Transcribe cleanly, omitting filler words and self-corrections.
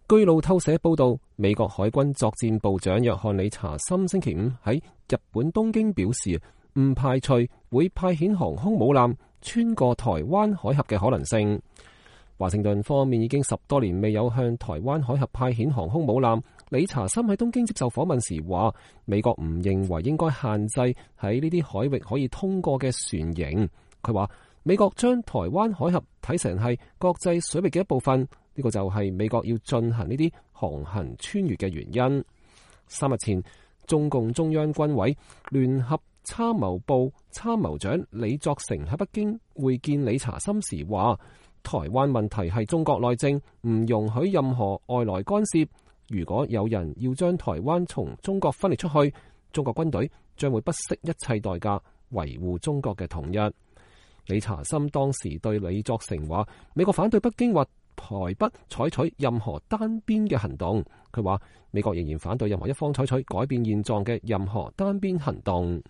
據路透社報道，美國海軍作戰部長約翰理查森星期五喺日本東京表示，唔排除會派遣航空母艦穿過台灣海峽嘅可能性。華盛頓方面已經10多年未有向台灣海峽派遣航空母艦。理查森喺東京接受訪問時話，美國唔認為應該限制喺呢啲海域可以通過嘅船型。佢話美國將台灣海峽睇成係國際水域嘅一部分，呢個就係美國要進行呢啲航行穿越嘅原因。3日前，中共中央軍委聯合參謀部參謀長李作成喺北京會見理查森時話，台灣問題係中國內政，唔容許任何外來干涉。如果有人要將台灣從中國分裂出去，中國軍隊將會不惜一切代價維護中國嘅統一。理查森當時對李作成話，美國反對北京或台北採取任何單邊嘅行動。佢話美國仍然反對任何一方採取改變現狀嘅任何單邊行動。